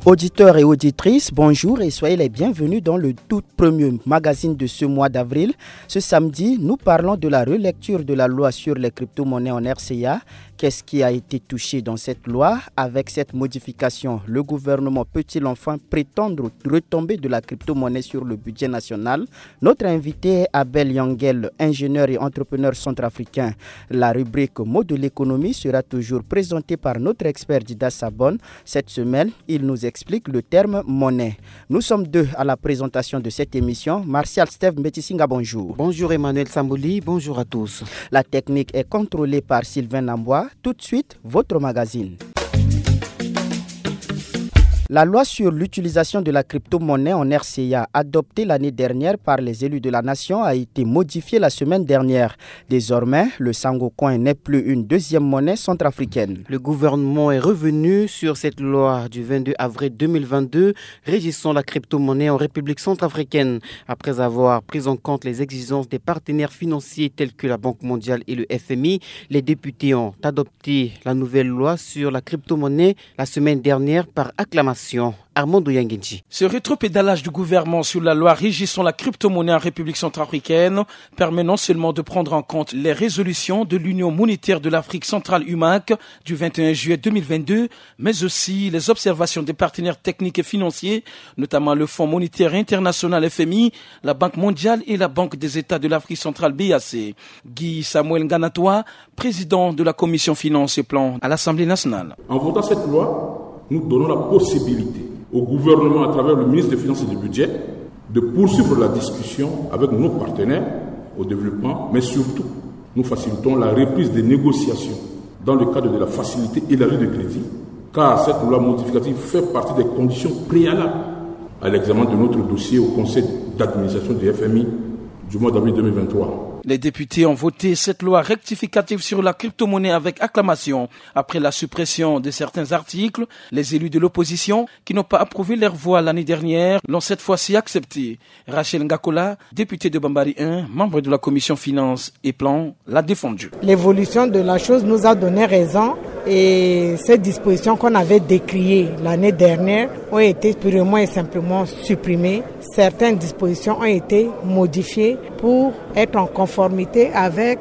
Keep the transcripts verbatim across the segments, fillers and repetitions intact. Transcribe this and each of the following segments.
Auditeurs et auditrices, bonjour et soyez les bienvenus dans le tout premier magazine de ce mois d'avril. Ce samedi, nous parlons de la relecture de la loi sur les crypto-monnaies en R C A. Qu'est-ce qui a été touché dans cette loi ? Avec cette modification, le gouvernement peut-il enfin prétendre aux retombées de la crypto-monnaie sur le budget national ? Notre invité est Abel Yangel, ingénieur et entrepreneur centrafricain. La rubrique Mots de l'économie sera toujours présentée par notre expert Dida Sabon. Cette semaine, il nous explique le terme monnaie. Nous sommes deux à la présentation de cette émission. Martial Steve Mbetisinga, bonjour. Bonjour Emmanuel Samboli, bonjour à tous. La technique est contrôlée par Sylvain Nambois. Tout de suite, votre magazine. La loi sur l'utilisation de la crypto-monnaie en R C A, adoptée l'année dernière par les élus de la nation, a été modifiée la semaine dernière. Désormais, le Sango Coin n'est plus une deuxième monnaie centrafricaine. Le gouvernement est revenu sur cette loi du vingt-deux avril deux mille vingt-deux régissant la crypto-monnaie en République centrafricaine. Après avoir pris en compte les exigences des partenaires financiers tels que la Banque mondiale et le F M I, les députés ont adopté la nouvelle loi sur la crypto-monnaie la semaine dernière par acclamation. Armando Yangenji. Ce rétropédalage du gouvernement sur la loi régissant la crypto-monnaie en République centrafricaine permet non seulement de prendre en compte les résolutions de l'Union monétaire de l'Afrique centrale, U M A C, du vingt et un juillet deux mille vingt-deux, mais aussi les observations des partenaires techniques et financiers, notamment le Fonds monétaire international, F M I, la Banque mondiale et la Banque des États de l'Afrique centrale, B A C. Guy Samuel Nganatoua, président de la commission finances et plans à l'Assemblée nationale. En votant cette loi, nous donnons la possibilité au gouvernement, à travers le ministre des Finances et du Budget, de poursuivre la discussion avec nos partenaires au développement, mais surtout, nous facilitons la reprise des négociations dans le cadre de la facilité élargie de crédit, car cette loi modificative fait partie des conditions préalables à l'examen de notre dossier au conseil d'administration du F M I du mois d'avril deux mille vingt-trois. Les députés ont voté cette loi rectificative sur la crypto-monnaie avec acclamation. Après la suppression de certains articles, les élus de l'opposition qui n'ont pas approuvé leur voix l'année dernière l'ont cette fois-ci acceptée. Rachel Ngakola, députée de Bambari un, membre de la commission finances et plans, l'a défendue. L'évolution de la chose nous a donné raison et ces dispositions qu'on avait décriées l'année dernière ont été purement et simplement supprimées. Certaines dispositions ont été modifiées pour être en conformité avec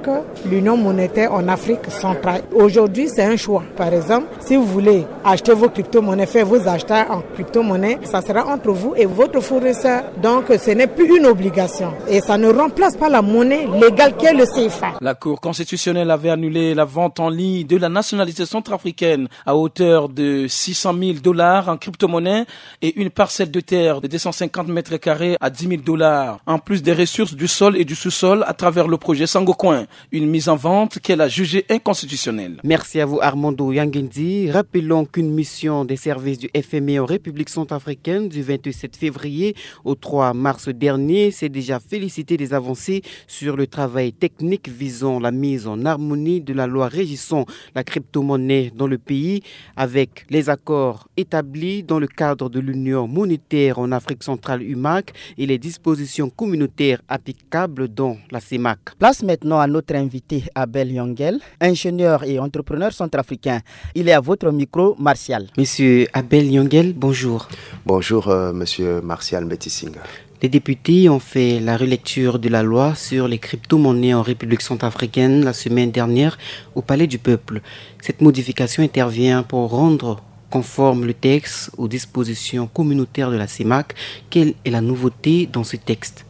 l'Union monétaire en Afrique centrale. Aujourd'hui, c'est un choix. Par exemple, si vous voulez acheter vos crypto-monnaies, faire vos achats en crypto-monnaie, ça sera entre vous et votre fournisseur. Donc, ce n'est plus une obligation et ça ne remplace pas la monnaie légale qui est le C F A. La Cour constitutionnelle avait annulé la vente en ligne de la nationalité centrafricaine à hauteur de six cent mille dollars en crypto-monnaie et une parcelle de terre de deux cent cinquante mètres carrés à dix mille dollars, en plus des ressources du sol et du sous-sol à travers le projet Sangocoin, une mise en vente qu'elle a jugée inconstitutionnelle. Merci à vous Armando Yangendi. Rappelons qu'une mission des services du F M I en République centrafricaine du vingt-sept février au trois mars dernier s'est déjà félicitée des avancées sur le travail technique visant la mise en harmonie de la loi régissant la crypto-monnaie dans le pays avec les accords établis dans le cadre de l'Union monétaire en Afrique centrale, U M A C, et les dispositions communautaires applicables dans la C E M A C. Place maintenant à notre invité Abel Yangel, ingénieur et entrepreneur centrafricain. Il est à votre micro, Martial. Monsieur Abel Yangel, bonjour. Bonjour, euh, monsieur Martial Metisinga. Les députés ont fait la relecture de la loi sur les crypto-monnaies en République centrafricaine la semaine dernière au Palais du Peuple. Cette modification intervient pour rendre conforme le texte aux dispositions communautaires de la C E M A C. Quelle est la nouveauté dans ce texte ?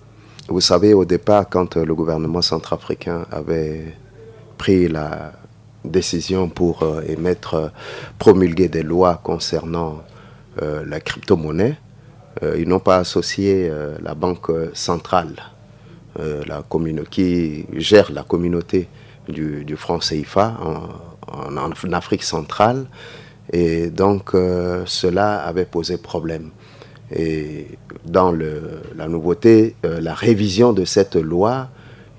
Vous savez, au départ, quand, euh, le gouvernement centrafricain avait pris la décision pour, euh, émettre, euh, promulguer des lois concernant, euh, la crypto-monnaie, euh, ils n'ont pas associé, euh, la Banque centrale, euh, la commune-, qui gère la communauté du, du franc C F A en, en, en Afrique centrale. Et donc, euh, cela avait posé problème. Et dans le, la nouveauté, euh, la révision de cette loi,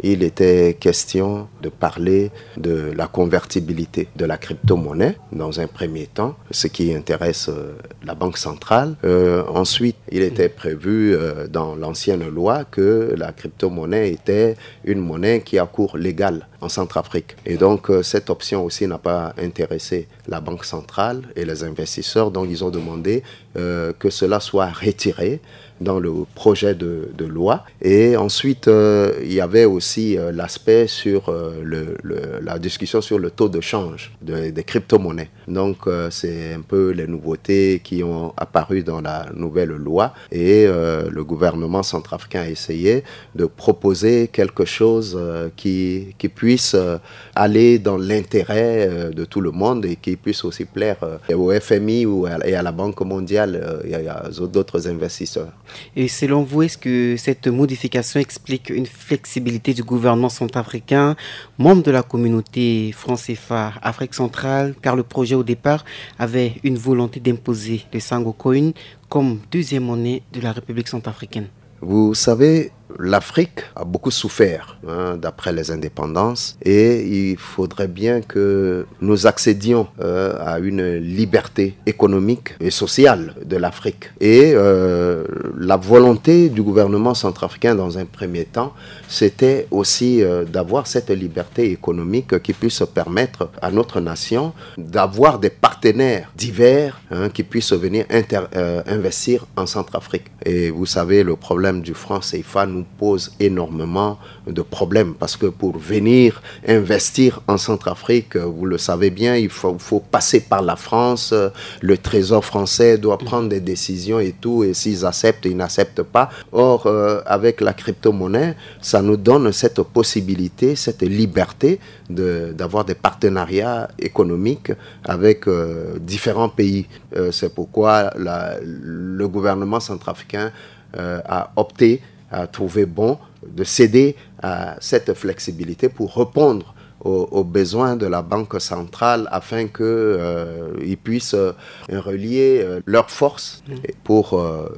Il était question de parler de la convertibilité de la crypto-monnaie dans un premier temps, ce qui intéresse euh, la Banque centrale. Euh, ensuite, il était prévu euh, dans l'ancienne loi que la crypto-monnaie était une monnaie qui a cours légal en Centrafrique. Et donc, euh, cette option aussi n'a pas intéressé la Banque centrale et les investisseurs. Donc, ils ont demandé euh, que cela soit retiré dans le projet de, de loi. Et ensuite, euh, il y avait aussi euh, l'aspect sur euh, le- le- la discussion sur le taux de change de- des crypto-monnaies. Donc, euh, c'est un peu les nouveautés qui ont apparu dans la nouvelle loi. Et euh, le gouvernement centrafricain a essayé de proposer quelque chose euh, qui, qui puisse euh, aller dans l'intérêt euh, de tout le monde et qui puisse aussi plaire euh, au F M I ou à- et à la Banque mondiale euh, et à d'autres investisseurs. Et selon vous, est-ce que cette modification explique une flexibilité du gouvernement centrafricain, membre de la communauté franc C F A Afrique centrale, car le projet au départ avait une volonté d'imposer le Sango Coin comme deuxième monnaie de la République centrafricaine ? Vous savez, l'Afrique a beaucoup souffert hein, d'après les indépendances et il faudrait bien que nous accédions euh, à une liberté économique et sociale de l'Afrique. Et euh, la volonté du gouvernement centrafricain dans un premier temps, c'était aussi euh, d'avoir cette liberté économique qui puisse permettre à notre nation d'avoir des partenaires divers hein, qui puissent venir inter- euh, investir en Centrafrique. Et vous savez, le problème du franc C F A nous pose énormément de problèmes parce que pour venir investir en Centrafrique, euh, vous le savez bien, il faut, faut passer par la France. Euh, Le Trésor français doit prendre des décisions et tout. Et s'ils acceptent, ils n'acceptent pas. Or, euh, avec la crypto-monnaie, ça nous donne cette possibilité, cette liberté de- d'avoir des partenariats économiques avec euh, différents pays. Euh, C'est pourquoi la- le gouvernement centrafricain euh, a opté, a trouvé bon de céder à cette flexibilité pour répondre aux, aux besoins de la Banque centrale afin qu'ils euh, puissent euh, relier euh, leurs forces pour euh,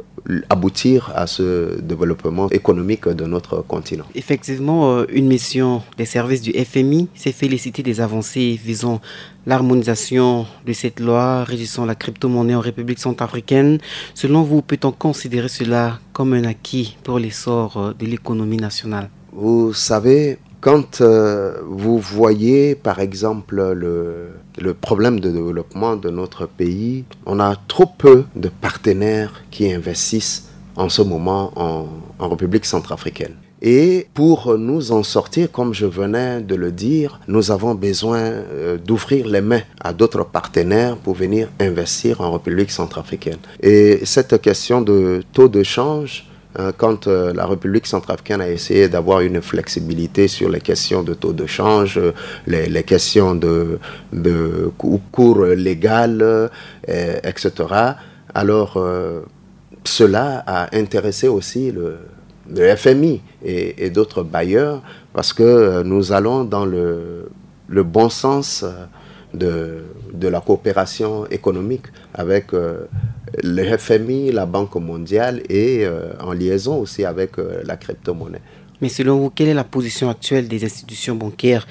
aboutir à ce développement économique de notre continent. Effectivement, euh, une mission des services du F M I s'est félicitée des avancées visant l'harmonisation de cette loi régissant la crypto-monnaie en République centrafricaine. Selon vous, peut-on considérer cela comme un acquis pour l'essor euh, de l'économie nationale ? Vous savez, quand euh, vous voyez par exemple le, le problème de développement de notre pays, on a trop peu de partenaires qui investissent en ce moment en, en République centrafricaine. Et pour nous en sortir, comme je venais de le dire, nous avons besoin euh, d'ouvrir les mains à d'autres partenaires pour venir investir en République centrafricaine. Et cette question de taux de change, euh, quand euh, la République centrafricaine a essayé d'avoir une flexibilité sur les questions de taux de change, euh, les, les questions de, de cou- cours légal, euh, et cetera, alors euh, cela a intéressé aussi le, le F M I et, et d'autres bailleurs parce que euh, nous allons dans le, le bon sens euh, de, de la coopération économique avec euh, le F M I, la Banque mondiale et euh, en liaison aussi avec euh, la crypto-monnaie. Mais selon vous, quelle est la position actuelle des institutions bancaires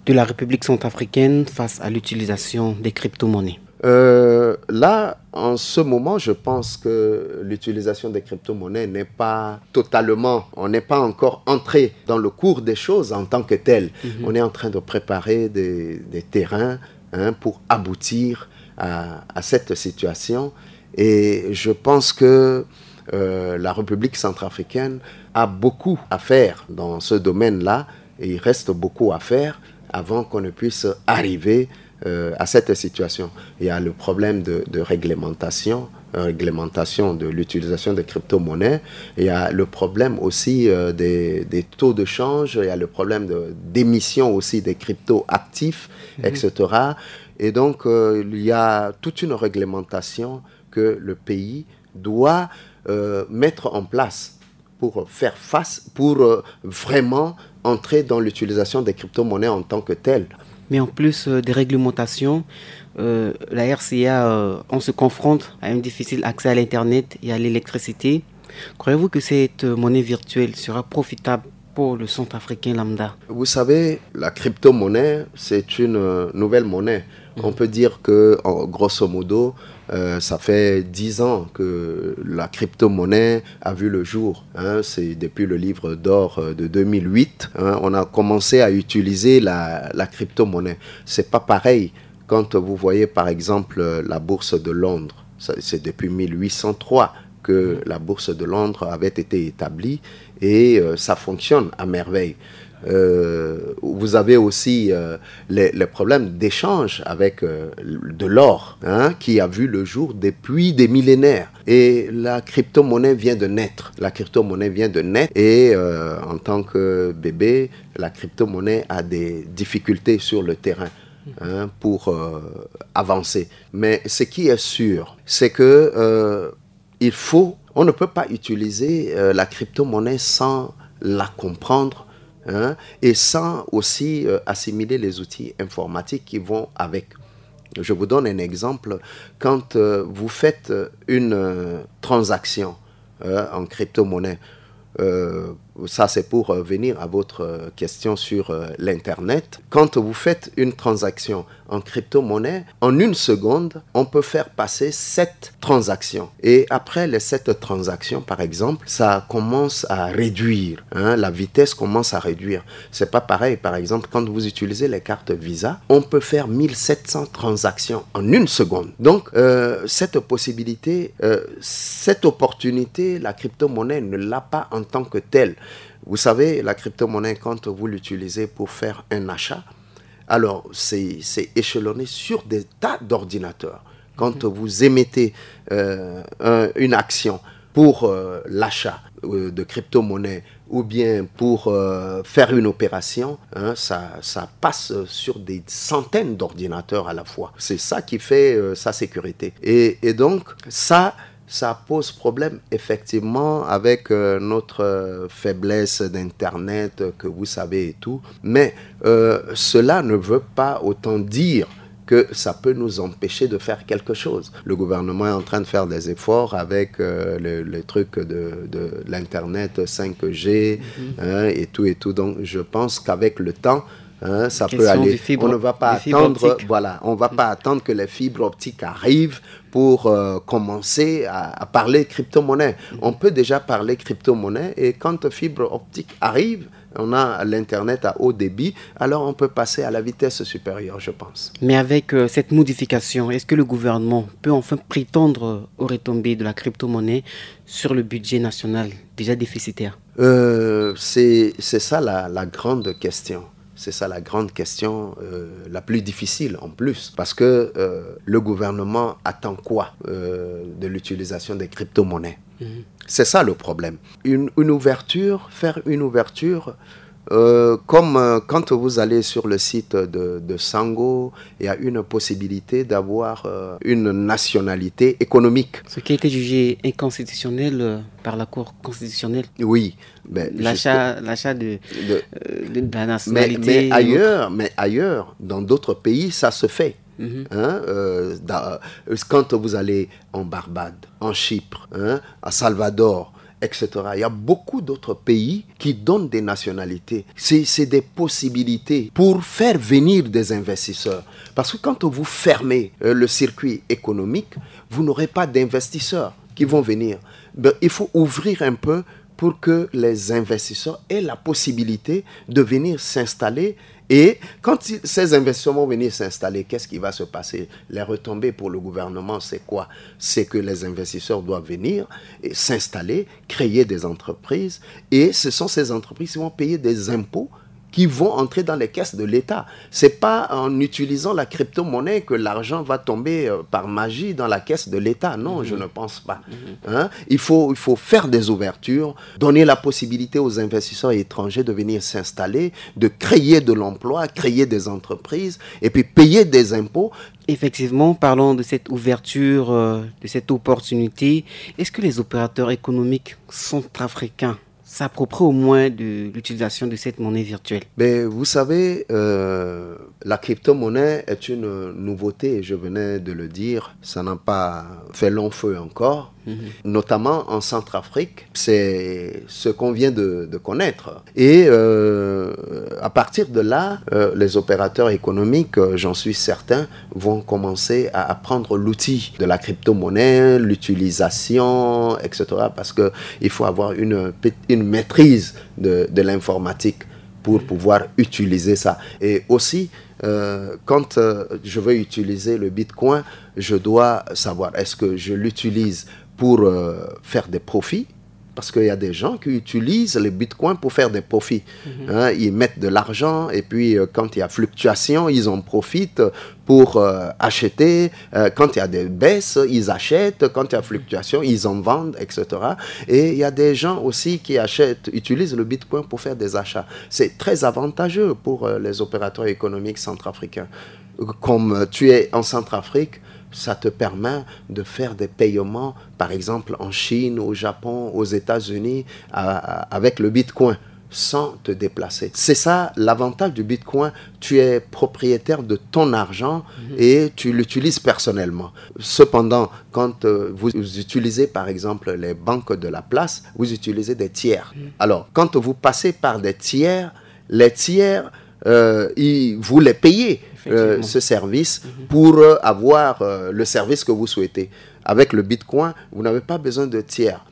de la République centrafricaine face à l'utilisation des crypto-monnaies ? Euh, là, en ce moment, je pense que l'utilisation des crypto-monnaies n'est pas totalement, on n'est pas encore entré dans le cours des choses en tant que tel. On est en train de préparer des, des terrains hein, pour aboutir à, à cette situation. Et je pense que euh, la République centrafricaine a beaucoup à faire dans ce domaine-là. Et il reste beaucoup à faire avant qu'on ne puisse arriver euh, à cette situation. Il y a le problème de, de réglementation, euh, réglementation de l'utilisation des crypto-monnaies. Il y a le problème aussi euh, des, des taux de change. Il y a le problème de- d'émission aussi des crypto-actifs, et cetera. Et donc, euh, il y a toute une réglementation que le pays doit euh, mettre en place pour faire face, pour euh, vraiment entrer dans l'utilisation des crypto-monnaies en tant que telles. Mais en plus euh, des réglementations, euh, la R C A, euh, on se confronte à un difficile accès à l'Internet et à l'électricité. Croyez-vous que cette euh, monnaie virtuelle sera profitable pour le centrafricain lambda ? Vous savez, la crypto-monnaie, c'est une euh, nouvelle monnaie. On peut dire que, en- grosso modo, euh, ça fait dix ans que la crypto-monnaie a vu le jour. Hein. C'est depuis le livre d'or euh, de deux mille huit, hein, on a commencé à utiliser la, la crypto-monnaie. C'est pas pareil quand vous voyez, par exemple, la bourse de Londres. Ça, c'est depuis mille huit cent trois que la bourse de Londres avait été établie et euh, ça fonctionne à merveille. Euh, vous avez aussi euh, les, les problèmes d'échange avec euh, de l'or, hein, qui a vu le jour depuis des millénaires. Et la crypto-monnaie vient de naître. La crypto-monnaie vient de naître et euh, en tant que bébé, la crypto-monnaie a des difficultés sur le terrain, hein, pour euh, avancer. Mais ce qui est sûr, c'est que euh, il faut, on ne peut pas utiliser euh, la crypto-monnaie sans la comprendre, hein, et sans aussi euh, assimiler les outils informatiques qui vont avec. Je vous donne un exemple. Quand euh, vous faites euh, une euh, transaction euh, en crypto-monnaie, euh, ça c'est pour euh, venir à votre euh, question sur euh, l'Internet. Quand vous faites une transaction en crypto-monnaie, en une seconde, on peut faire passer sept transactions. Et après les sept transactions, par exemple, ça commence à réduire, hein, la vitesse commence à réduire. C'est pas pareil, par exemple, quand vous utilisez les cartes Visa, on peut faire mille sept cents transactions en une seconde. Donc, euh, cette possibilité, euh, cette opportunité, la crypto-monnaie ne l'a pas en tant que telle. Vous savez, la crypto-monnaie, quand vous l'utilisez pour faire un achat, alors c'est c'est échelonné sur des tas d'ordinateurs. Quand vous émettez euh, un- une action pour euh, l'achat euh, de crypto-monnaie ou bien pour euh, faire une opération, hein, ça, ça passe sur des centaines d'ordinateurs à la fois. C'est ça qui fait euh, sa sécurité. Et, et donc, ça, ça pose problème effectivement avec euh, notre euh, faiblesse d'Internet, euh, que vous savez et tout. Mais euh, cela ne veut pas autant dire que ça peut nous empêcher de faire quelque chose. Le gouvernement est en train de faire des efforts avec euh, le, le truc de, de l'Internet cinq G, hein, et tout et tout. Donc, je pense qu'avec le temps, hein, ça peut aller. On ne va pas attendre, voilà, on va pas attendre que les fibres optiques arrivent pour euh, commencer à, à parler crypto-monnaie. On peut déjà parler crypto-monnaie et quand fibre optique arrive, on a l'Internet à haut débit, alors on peut passer à la vitesse supérieure, je pense. Mais avec euh, cette modification, est-ce que le gouvernement peut enfin prétendre aux retombées de la crypto-monnaie sur le budget national déjà déficitaire ? Euh, c'est c'est ça la, la grande question. C'est ça la grande question, euh, la plus difficile en plus, parce que euh, le gouvernement attend quoi euh, de l'utilisation des crypto-monnaies ? C'est ça le problème. Une, une ouverture, faire une ouverture, euh, comme euh, quand vous allez sur le site de, de Sango, il y a une possibilité d'avoir euh, une nationalité économique. Ce qui a été jugé inconstitutionnel euh, par la Cour constitutionnelle. Oui, ben, l'achat, l'achat de, de, euh, de la nationalité. Mais, mais ailleurs, mais ailleurs, dans d'autres pays, ça se fait. Mhm. Hein, euh, dans- quand vous allez en Barbade, en Chypre, hein, à Salvador, et cetera. Il y a beaucoup d'autres pays qui donnent des nationalités. C'est, c'est des possibilités pour faire venir des investisseurs. Parce que quand vous fermez euh, le circuit économique, vous n'aurez pas d'investisseurs qui vont venir. Ben, il faut ouvrir un peu pour que les investisseurs aient la possibilité de venir s'installer. Et quand ils- ces investisseurs vont venir s'installer, qu'est-ce qui va se passer ? Les retombées pour le gouvernement, c'est quoi ? C'est que les investisseurs doivent venir et s'installer, créer des entreprises. Et ce sont ces entreprises qui vont payer des impôts qui vont entrer dans les caisses de l'État. C'est pas en utilisant la crypto-monnaie que l'argent va tomber euh, par magie dans la caisse de l'État. Non, je ne pense pas. Hein ? Il faut, il faut faire des ouvertures, donner la possibilité aux investisseurs étrangers de venir s'installer, de créer de l'emploi, créer des entreprises et puis payer des impôts. Effectivement, parlons de cette ouverture, euh, de cette opportunité. Est-ce que les opérateurs économiques centrafricains s'approprient au moins de l'utilisation de cette monnaie virtuelle ? Mais vous savez, euh, la crypto-monnaie est une nouveauté, je venais de le dire, ça n'a pas fait long feu encore. notamment en Centrafrique. C'est ce qu'on vient de, de connaître. Et euh, à partir de là, euh, les opérateurs économiques, euh, j'en suis certain, vont commencer à apprendre l'outil de la crypto-monnaie, l'utilisation, et cetera. Parce qu'il faut avoir une, une maîtrise de, de l'informatique pour pouvoir utiliser ça. Et aussi, euh, quand euh, je veux utiliser le Bitcoin, je dois savoir, est-ce que je l'utilise pour euh, faire des profits? Parce qu'il y a des gens qui utilisent les bitcoins pour faire des profits. Mhm. Hein, ils mettent de l'argent et puis euh, quand il y a fluctuation, ils en profitent pour euh, acheter. Euh, quand il y a des baisses, ils achètent. Quand il y a fluctuation, ils en vendent, et cetera. Et il y a des gens aussi qui achètent, utilisent le bitcoin pour faire des achats. C'est très avantageux pour euh, les opérateurs économiques centrafricains. Comme tu es en Centrafrique, ça te permet de faire des paiements, par exemple en Chine, au Japon, aux États-Unis, avec le Bitcoin, sans te déplacer. C'est ça l'avantage du Bitcoin. Tu es propriétaire de ton argent et tu l'utilises personnellement. Cependant, quand euh, vous utilisez par exemple les banques de la place, vous utilisez des tiers. Alors, quand vous passez par des tiers, les tiers euh, vous les payez euh, ce service pour euh, avoir euh, le service que vous souhaitez. Avec le Bitcoin, vous n'avez pas besoin de tiers.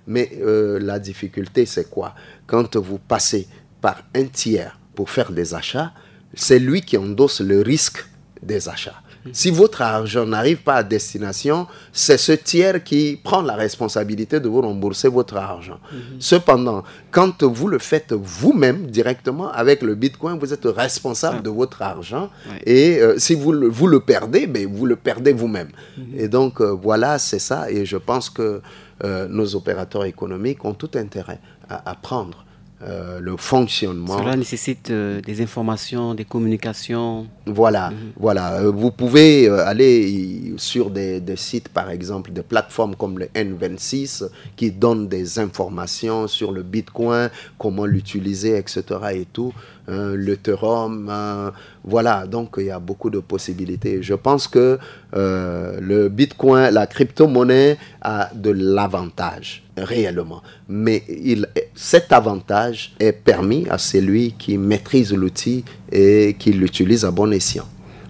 Mais euh, la difficulté, c'est quoi? Quand vous passez par un tiers pour faire des achats, c'est lui qui endosse le risque des achats. Si votre argent n'arrive pas à destination, c'est ce tiers qui prend la responsabilité de vous rembourser votre argent. Cependant, quand vous le faites vous-même directement avec le Bitcoin, vous êtes responsable de votre argent. Et euh, si vous le, vous le perdez, ben, vous le perdez vous-même. Et donc, euh, voilà, c'est ça. Et je pense que euh, nos opérateurs économiques ont tout intérêt à apprendre euh, le fonctionnement. Cela nécessite euh, des informations, des communications. Voilà, voilà. Euh, vous pouvez euh, aller sur des, des sites, par exemple, des plateformes comme le N vingt-six, qui donnent des informations sur le Bitcoin, comment l'utiliser, et cetera et tout. Hein, l'Ethereum, hein, voilà, donc il y a beaucoup de possibilités. Je pense que euh, le Bitcoin, la crypto-monnaie a de l'avantage, réellement. Mais il, cet avantage est permis à celui qui maîtrise l'outil et qui l'utilise à bon escient.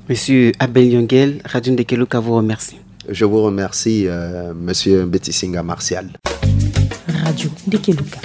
Monsieur Abel Yongel, Radio Ndekeluka vous remercie. Je vous remercie, euh, Monsieur Betisinga Martial. Radio Ndekeluka.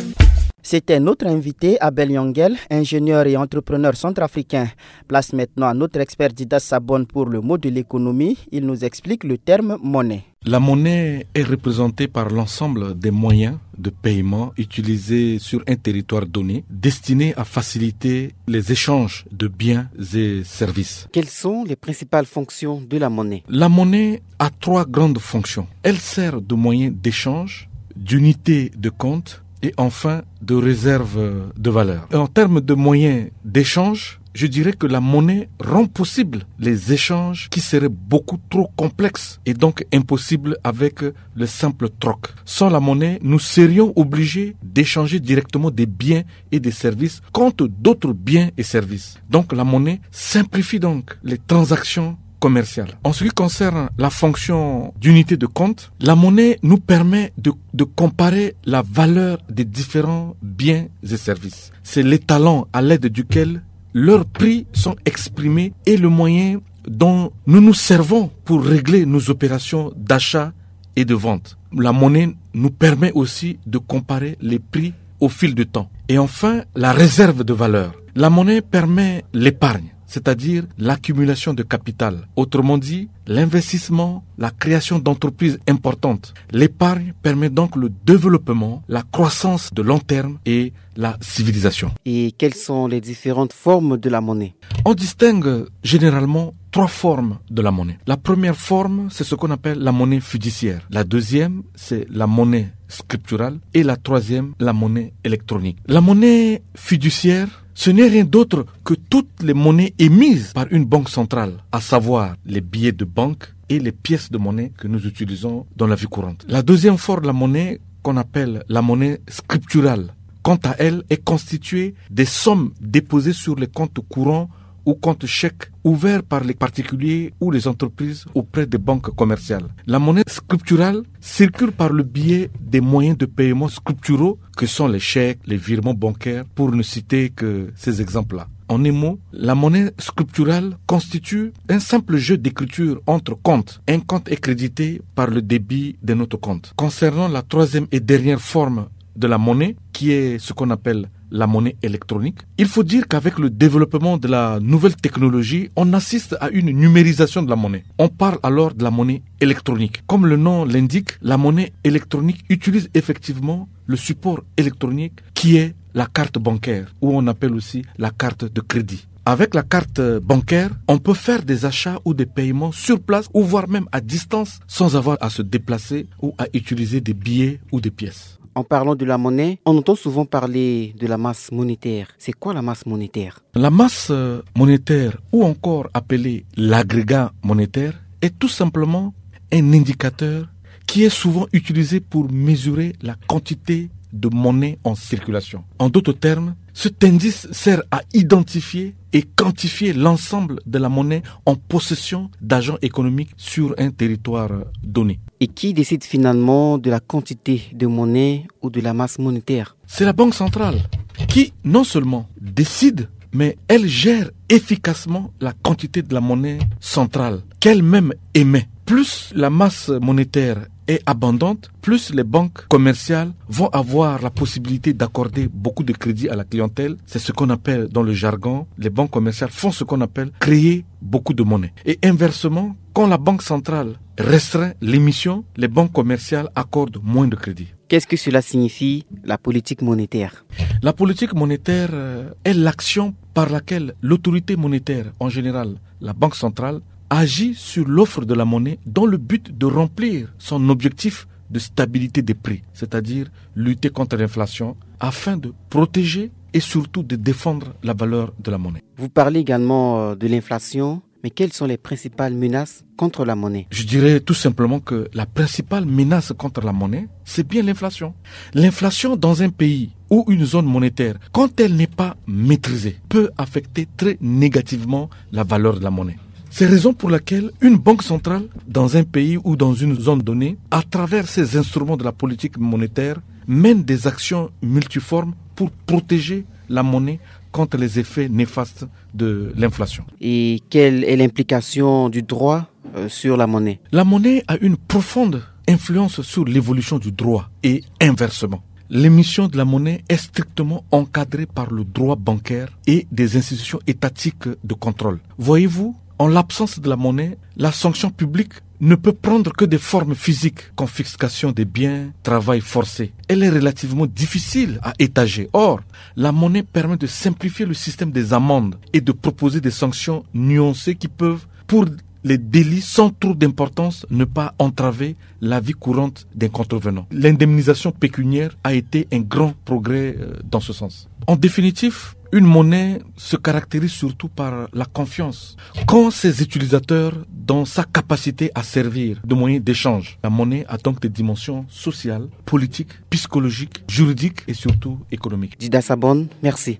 C'était notre invité, Abel Yongel, ingénieur et entrepreneur centrafricain. Place maintenant à notre expert Didas Sabon pour le mot de l'économie. Il nous explique le terme monnaie. La monnaie est représentée par l'ensemble des moyens de paiement utilisés sur un territoire donné, destinés à faciliter les échanges de biens et services. Quelles sont les principales fonctions de la monnaie ? La monnaie a trois grandes fonctions. Elle sert de moyen d'échange, d'unité de compte et enfin de réserve de valeur. Et en termes de moyens d'échange, je dirais que la monnaie rend possible les échanges qui seraient beaucoup trop complexes et donc impossibles avec le simple troc. Sans la monnaie, nous serions obligés d'échanger directement des biens et des services contre d'autres biens et services. Donc la monnaie simplifie donc les transactions commerciales. En ce qui concerne la fonction d'unité de compte, la monnaie nous permet de, de comparer la valeur des différents biens et services. C'est l'étalon à l'aide duquel leurs prix sont exprimés et le moyen dont nous nous servons pour régler nos opérations d'achat et de vente. La monnaie nous permet aussi de comparer les prix au fil du temps. Et enfin, la réserve de valeur. La monnaie permet l'épargne, c'est-à-dire l'accumulation de capital. Autrement dit, l'investissement, la création d'entreprises importantes. L'épargne permet donc le développement, la croissance de long terme et la civilisation. Et quelles sont les différentes formes de la monnaie ? On distingue généralement trois formes de la monnaie. La première forme, c'est ce qu'on appelle la monnaie fiduciaire. La deuxième, c'est la monnaie scripturale. Et la troisième, la monnaie électronique. La monnaie fiduciaire, ce n'est rien d'autre que toutes les monnaies émises par une banque centrale, à savoir les billets de banque et les pièces de monnaie que nous utilisons dans la vie courante. La deuxième forme de la monnaie, qu'on appelle la monnaie scripturale, quant à elle, est constituée des sommes déposées sur les comptes courants ou comptes chèques ouverts par les particuliers ou les entreprises auprès des banques commerciales. La monnaie scripturale circule par le biais des moyens de paiement scripturaux que sont les chèques, les virements bancaires, pour ne citer que ces exemples-là. En un mot, la monnaie scripturale constitue un simple jeu d'écriture entre comptes. Un compte est crédité par le débit d'un autre compte. Concernant la troisième et dernière forme de la monnaie, qui est ce qu'on appelle la monnaie électronique, il faut dire qu'avec le développement de la nouvelle technologie, on assiste à une numérisation de la monnaie. On parle alors de la monnaie électronique. Comme le nom l'indique, la monnaie électronique utilise effectivement le support électronique qui est la carte bancaire, ou on appelle aussi la carte de crédit. Avec la carte bancaire, on peut faire des achats ou des paiements sur place ou voire même à distance sans avoir à se déplacer ou à utiliser des billets ou des pièces. En parlant de la monnaie, on entend souvent parler de la masse monétaire. C'est quoi la masse monétaire ? La masse euh, monétaire, ou encore appelée l'agrégat monétaire, est tout simplement un indicateur qui est souvent utilisé pour mesurer la quantité de monnaie en circulation. En d'autres termes, cet indice sert à identifier et quantifier l'ensemble de la monnaie en possession d'agents économiques sur un territoire donné. Et qui décide finalement de la quantité de monnaie ou de la masse monétaire ? C'est la Banque centrale qui non seulement décide, mais elle gère efficacement la quantité de la monnaie centrale qu'elle-même émet. Plus la masse monétaire est abondante, plus les banques commerciales vont avoir la possibilité d'accorder beaucoup de crédits à la clientèle. C'est ce qu'on appelle dans le jargon, les banques commerciales font ce qu'on appelle créer beaucoup de monnaie. Et inversement, quand la Banque centrale restreint l'émission, les banques commerciales accordent moins de crédits. Qu'est-ce que cela signifie, la politique monétaire ? La politique monétaire euh, est l'action par laquelle l'autorité monétaire, en général la Banque centrale, agit sur l'offre de la monnaie dans le but de remplir son objectif de stabilité des prix, c'est-à-dire lutter contre l'inflation afin de protéger et surtout de défendre la valeur de la monnaie. Vous parlez également euh, de l'inflation, mais quelles sont les principales menaces contre la monnaie ? Je dirais tout simplement que la principale menace contre la monnaie, c'est bien l'inflation. L'inflation dans un pays ou une zone monétaire, quand elle n'est pas maîtrisée, peut affecter très négativement la valeur de la monnaie. C'est raison pour laquelle une banque centrale dans un pays ou dans une zone donnée, à travers ses instruments de la politique monétaire, mène des actions multiformes pour protéger la monnaie contre les effets néfastes de l'inflation. Et quelle est l'implication du droit euh, sur la monnaie ? La monnaie a une profonde influence sur l'évolution du droit et inversement. L'émission de la monnaie est strictement encadrée par le droit bancaire et des institutions étatiques de contrôle. Voyez-vous, en l'absence de la monnaie, la sanction publique ne peut prendre que des formes physiques, confiscation des biens, travail forcé. Elle est relativement difficile à étager. Or, la monnaie permet de simplifier le système des amendes et de proposer des sanctions nuancées qui peuvent, pour les délits sans trop d'importance, ne pas entraver la vie courante d'un contrevenant. L'indemnisation pécuniaire a été un grand progrès euh, dans ce sens. En définitive, une monnaie se caractérise surtout par la confiance qu'ont ses utilisateurs dans sa capacité à servir de moyen d'échange. La monnaie a donc des dimensions sociales, politiques, psychologiques, juridiques et surtout économiques. Dida Sabon, merci.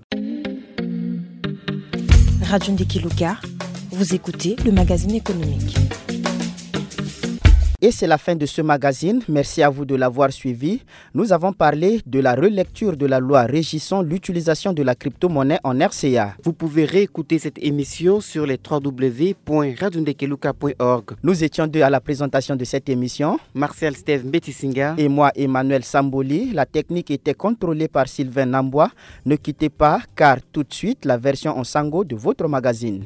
Radio Ndekeluka, vous écoutez le magazine économique. Et c'est la fin de ce magazine. Merci à vous de l'avoir suivi. Nous avons parlé de la relecture de la loi régissant l'utilisation de la crypto-monnaie en R C A. Vous pouvez réécouter cette émission sur les trois W point radio ndekeluka point org. Nous étions deux à la présentation de cette émission. Martial Steve Mbetisinga. Et moi, Emmanuel Samboli. La technique était contrôlée par Sylvain Nambois. Ne quittez pas, car tout de suite, la version en sango de votre magazine.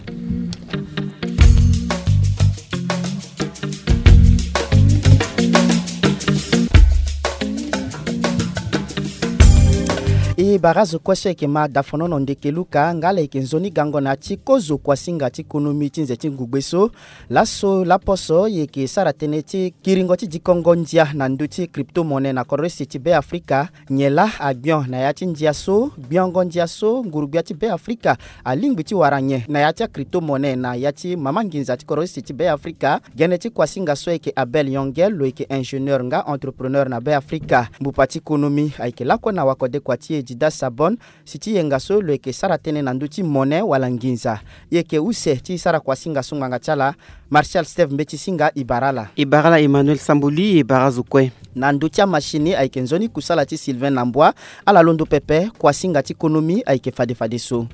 E bara azo kue so ayeke ma dafonono Ndekeluka, nga ala yeke nzoni gango na ya ti kozo kuasinga ti konomi ti nze ti ngugbe so. Laso laposo e yeke sara tënë ti kiringo ti dikongo ndia na ndö ti crypto-monnaie na korose ti Be Afrika. Nyen laa agbion na ya ti ndia so, gbiongo ndia so, ngurugbia ti Be Afrika alingbi ti wara nyen na ya ti acrypto-monnaie na ya ti mama nginza ti korose ti Be Afrika? Gene ti kuasinga so ayeke Abel Yongel, lo yeke ingénieur nga entrepreneur na Be Afrika. Mbupa ti konomi ayeke lakue na wakodekua ti e Dida Sabon, si ti yenga so lo yeke sara tënë na ndö ti mone wala nginza. E yeke use ti sara kuasinga so ngbanga ti ala, Martial Steve Mbeti Singa, e bara ala. E bara ala Emmanuel Samboli, e bara azo kue. Na ndö ti amachine ayeke nzoni kusala ti Sylvain Nambwa. Ala londo pepe, kuasinga ti konomi ayeke fade fadeso.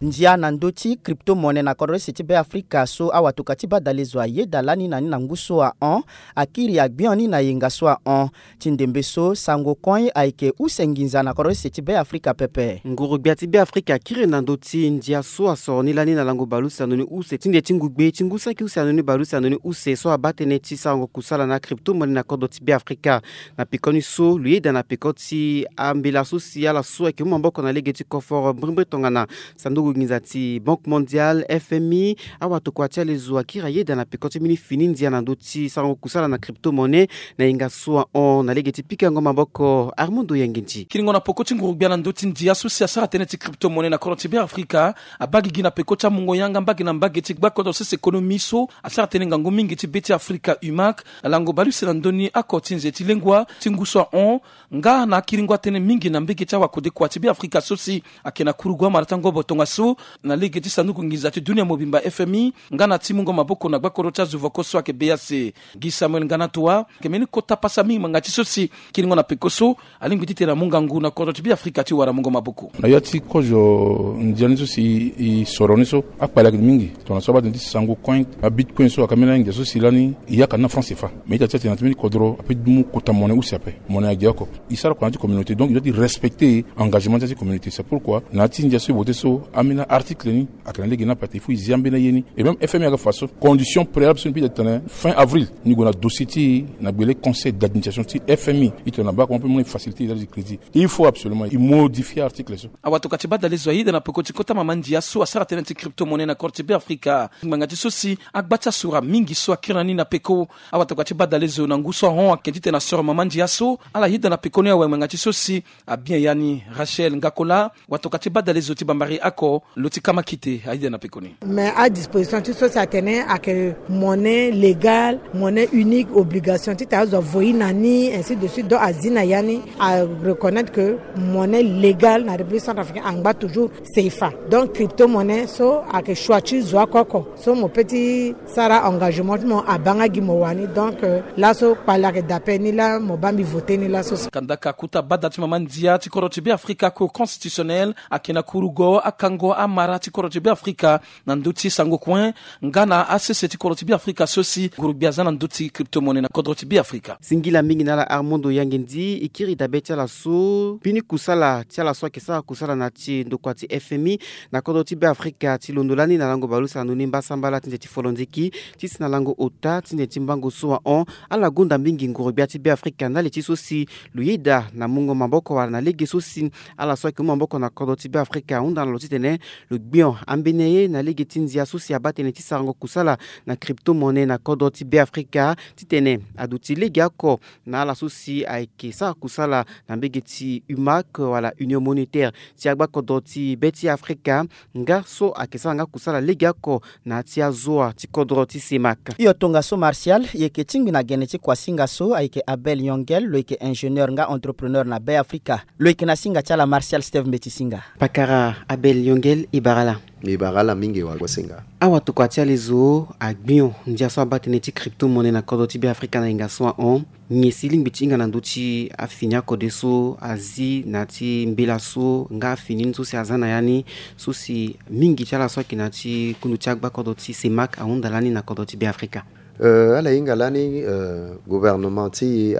Ndia na ndö ti crypto-monnaie na kodro use ti Beafrika so awatokua ti badalezo ayeda lani na ni na ngu so ahon, akiri agbion ni na yenga so ahon. Ti ndembe so, sango koi ayeke use nginza na kodro use ti Beafrika pepe. Nguru-gbia ti Beafrika akiri na ndö ti ndia so asoro ni lani na lango baleuse na ndö ni use ti nde ti ngu gbe ti ngu saki use na ndö ni baleuse na ndö ni use so abaa tënë ti sarango kusala na crypto-monnaie na kodro ti Beafrika. Na pekoni so, lo yeda na peko ti ambela so si ala so ayeke mu maboko na lege ti koforo mbirimbiri tongana sanduku nginza ti Banque Mondiale, F M I, awatokua ti alezo akiri ayeda na peko ti mbeni fini ndia na ndö ti sarango kusala na crypto-monnaie na yenga so ahon na lege ti pikango maboko. Armando Yanginti. Kiringo na peko ti nguru-gbia na ndö ti ndia so si asara tënë ti crypto-monnaie na kodro ti Beafrika abaa gigi na peko ti amungo yanga mbage na mbage ti gbakodro sese économie so asara tënë ngangu mingi ti be ti Afrika, U mac, na lango baleuse na ndö ni oko ti nze ti lengua ti ngu so ahon, nga na akiringo atënë mingi na mbage ti awakodekua ti Beafrika so si ayeke na kurugu amara ti angobo tongaso na lege ti sanduku nginza ti dunia mobimba, F M I, nga na ti mungo maboko na gbakodro ti azo voko so ayeke B A C. Guy Samuel Nganatua, ayeke mbeni kota pasa mingi ngbanga ti so si kiringo na peko so alingbi titene amu ngangu na kodro ti Beafrika ti wara mungo maboko. Na ya ti kozo ndia ni so si e soro ni so, akpale ayeke mingi. Tongana so abaa tënë ti sango coin, abitcoin so ayeke ambeni angia so si lani e yaka na franc CFA. Mais ita ti atene na ti mbeni kodro ape ti mu kota monnaie use ape. Monnaie agi oko. E sara kua na ya ti communauté, donc e doit ti respecter engagement ti ya ti communauté. C'est pourquoi na ya ti ndia so e voté so, ambeni article ni ayeke na lege ni ape, il faut e zi ambeni aye ni. Et même F M I ayeke fa so, condition préalable so ni peut ti tene fin avril ni gue na dossier ti e na gbele conseil d'administration ti F M I. E tene na baa comment peut mu na e facilité e date de crédit. Il faut absolument e modifier article so. Awatokua ti badalezo ayeda na peko ti kota mama ndia so asara tënë ti crypto-monnaie na kodro ti Beafrika. Ngbanga ti so si agba ti asura mingi so akiri na ni na peko. Awatokua ti badalezo na ngu so ahon ayeke titene asoro mama ndia so. Ala yeda na pekoni awe ngbanga ti so si abien ya ni. Rachel Ngakola, watokua ti badalezo ti bambari oko, lo ti kama kite, ayeda na pekoni. Mais adisposition ti so si atene ayeke monnaie légale, monnaie unique, obligation titene azo avoyi na ni, ainsi de suite. Donc azi na ya ni, areconnaître que monnaie légale na République centrafricaine angba toujours CFA. Donc crypto-monnaie so ayeke choix ti zo oko oko. So mo peut ti sara engagement ti mo abaa nga gi mo wani. Donc, euh, laso kpale ayeke daa ape, ni laa mo baa mbi voté ni laso so. Kandaka kota bada ti mama ndia ti kodro ti Beafrika, Cour constitutionnelle, ayeke na kurugo akango amara ti kodro ti Beafrika na ndö ti sango coin nga na asese ti kodro ti Beafrika so si nguru-gbia aza na ndö ti crypto-monnaie na kodro ti Beafrika. Singila mingi na ala Armando Yangendi, e kiri dabe ti ala so, mbeni kusala ti ala so ayeke sara kusala na ya ti ndokua ti F M I na kodro ti Beafrika ti londo lani na lango baleuse na ndö ni mbasambala ti nze ti folondiki, ti si na lango ota ti nze ti mbango so ahon. Ala gonda mingi nguru-gbia ti Beafrika ndali ti so si lo yeda na mungo maboko wala na lege so si ala so ayeke mu maboko na kodro ti Beafrika ahunda na lo titene lo gbion ambeni aye na lege ti ndia so si abaa tënë ti sarango kusala na crypto-monnaie na kodro ti Beafrika, titene aduti legeoko na ala so si ayeke sara kusala na mbage ti U mac wala Union Monétaire ti agbakodro ti be ti Afrika, nga so ayeke sara nga kusala legeoko na ya ti azoa ti kodro ti CEMAC. Hio tongaso Martial, e yeke tingbi na gene ti kuasinga so ayeke Abel Yongel, lo yeke ingénieur nga entrepreneur na Beafrika. Lo yeke na singa ti ala Martial Steve Mbeti Singa. Pakara Abel Yongel, e bara ala. E bara ala mingi wa kuasinga. Awatokua ti alezo agbion ndia so abaa tënë ti crypto-monnaie na kodro ti Beafrika na yenga so ahon. Nyen si e lingbi ti hinga na ndö ti afini akode so azi na ya ti mbela so nga afini ni so si aza na ya ni, so si mingi ti ala so ayeke na ya ti kundu ti agbakodro ti CEMAC ahunda lani na kodro ti Beafrika? Euh, ala hinga lani, euh, gouvernement ti e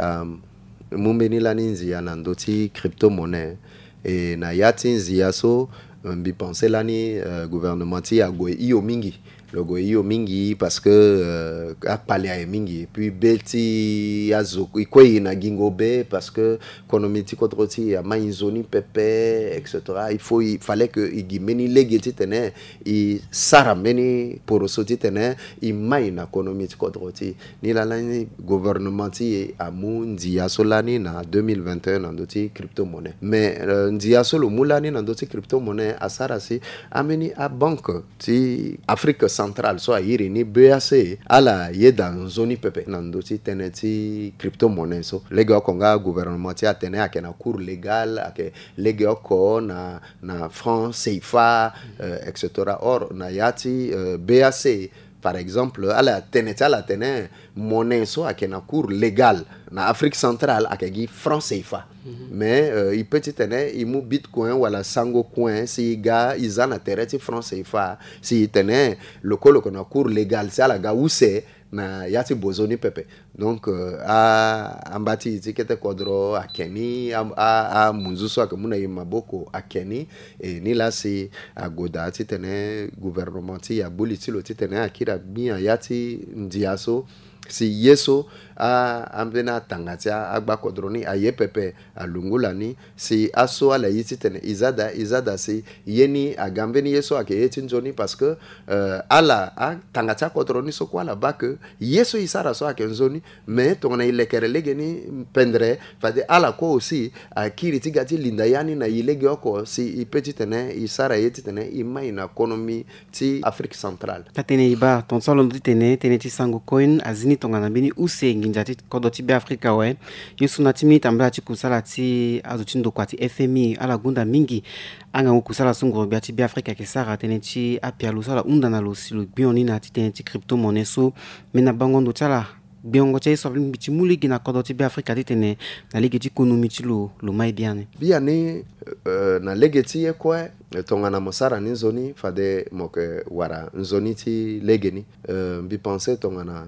amu mbeni lani nzia na ndö ti crypto-monnaie. E na ya ti nzia so, euh, mbi pensé lani, euh, gouvernement ti e ague hio mingi. Lo gue hio mingi parce que, euh, akpale aye mingi. Et puis be ti azo e kue e na gingo be parce que konomi ti kodro ti e amai nzoni pepe, et cetera. Il faut, il fallait que e gi mbeni lege titene e sara mbeni poroso titene e mai na konomi ti kodro ti e. Ni laa lani gouvernement ti e amu ndia so lani na deux mille vingt et un na ndö ti crypto-monnaie. Mais, euh, ndia so lo mu lani na ndö ti crypto-monnaie asara si ambeni abanke ti Afrique Centrale so a iri ni B A C, ala yeda nzoni pepe na ndö ti tënë ti crypto-monnaie so. Legeoko nga gouvernement ti e atene ayeke na cours légal, ayeke legeoko na, na franc C F A, euh, et cetera. Or, na ya ti, euh, B A C, par exemple, ala tene ti ala atene monnaie so ayeke na cours légal na Afrique centrale ayeke gi franc C F A. Mais, euh, e peut ti tene e mu Bitcoin wala Sango Coin si e ga e za na tere ti franc C F A, si e tene lo kue lo yeke na cours légal si ala ga use na ya ti bozo ni pepe. Donc, euh, a, amba ti e ti kete kodro ayeke ni, a, a, amunzu so ayeke mu na e maboko ayeke ni. E ni laa si agoda ti tene gouvernement ti e agbu li ti lo ti tene akiri agbi na ya ti ndia so, si ye so a, ambeni atanga ti a, agba kodro ni aye pepe, alungu lani, si aso ala ye ti tene e za daa, e za daa, si ye ni aga mbeni ye so ayeke ye ti nzoni, parce que, euh, ala, atanga ti akodro ni so kue ala baa ke ye so e sara so ayeke nzoni. Mais tongana e lekere lege ni pendre, fade ala kue aussi akiri ti ga ti linda ya ni na e legeoko, si e peut ti tene e sara ye ti tene e mai na konomi ti Afrique centrale. Taa tënë e baa, tongaso alondo ti tene tënë ti Sango Coin azi ni tongana mbeni use nginza ti kodro ti Beafrika awe. Ye so na ti miniti tambala ti kusala ti azo ti ndokua ti F M I, ala gonda mingi angangu kusala so nguru-gbia ti Beafrika ayeke sara tënë ti apialo so ala hunda na lo si lo gbio ni na ya ti tënë ti crypto-monnaie so. Mais na bango ndo ti ala, gbengo ti aye so alingbi ti mu lege na kodro ti Beafrika ti tene na lege ti konomi ti lo lo mai biani. Biani, euh, na lege ti ye kue, tongana mo sara ni nzoni, fade mo yeke wara nzoni ti lege ni. Euh, mbi pense tongana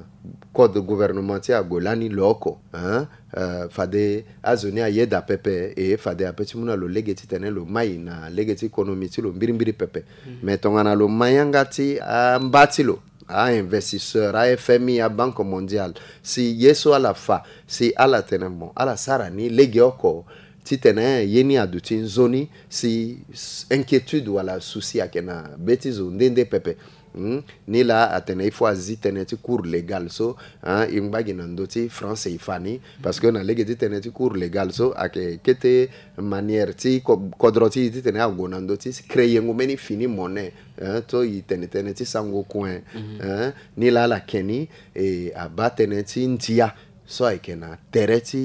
code gouvernement ti e ague lani lo oko, hein, euh, fade azo ni ayeda pepe, e fade ape ti mu na lo lege ti tene lo mai na lege ti konomi ti lo mbirimbiri pepe. Mais tongana lo mai yanga ti amba ti lo, a-investisseur, a-F M I, a-Banque mondiale, si ye so ala fa, si ala tene mo, ala sara ni legeoko, ti tene ye ni aduti nzoni, si s-, inquiétude wala souci ayeke na be ti zo nde nde pepe. Hmm? Ni laa atene il faut azi tënë ti cours légal so, hein, e ngba gi na ndö ti franc C F A ni, parce que na lege ti tënë ti cours légal so ayeke kete manière ti ko-, kodro ti e ti tene ague na ndö ti créer ngu mbeni fini monnaie, hein, so e tene tënë ti Sango Coin, hein, ni laa ala ke ni, e abaa tënë ti ndia so ayeke na tere ti,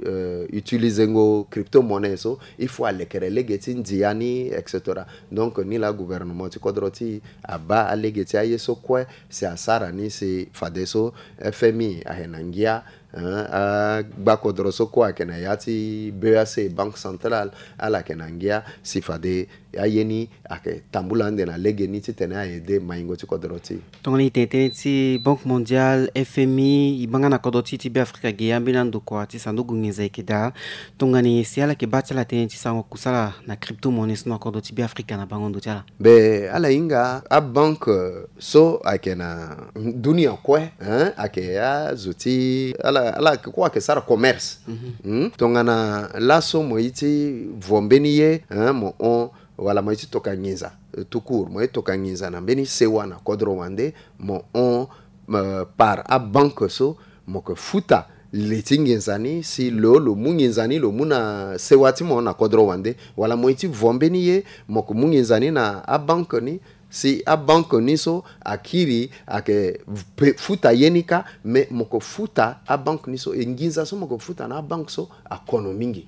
euh, utiliser ngo crypto-monnaie so, il faut alekere lege ti ndia ni, et cetera. Donc ni laa gouvernement ti kodro ti e abaa alege ti aye so kue, si asara ni si fadeso F M I ayeke na ngia, hein, agba kodro so kue ayeke na ya ti B A C, Banque centrale, ala yeke na ngia si fade aye ni ayeke tambula ande na lege ni ti tene a-aider maingo ti kodro ti e. Tongana e tene tënë ti Banque mondiale, F M I, e baa nga na kodro ti e ti Beafrika ge, ambeni andokua ti sanduku nginza e yeke daa. Tongana nyen si ala yeke baa ti ala tënë ti sarango kusala na crypto-monnaie so na kodro ti Beafrika na bango ndo ti ala? Be ala hinga abanke so ayeke na dunia kue, hein, ayeke azo ti ala, ala yeke kue ayeke sara commerce. Hmm? Tongana laso mo ye ti vo mbeni ye, hein, mo hon, wala mo ye ti toka nginza, euh, tout court, mo ye toka nginza na mbeni sewa na kodro wande, mo hon, euh, par abanke so, mo yeke futa li ti nginza ni, si lo, lo mu nginza ni, lo mu na sewa ti mo na kodro wande, wala mo ye ti vo mbeni ye, mo yeke mu nginza ni na abanke ni, si abanke ni so akiri ayeke pe-, futa ye ni kâ, me mo yeke futa abanke ni so, e nginza so mo yeke futa na abanke so akono mingi.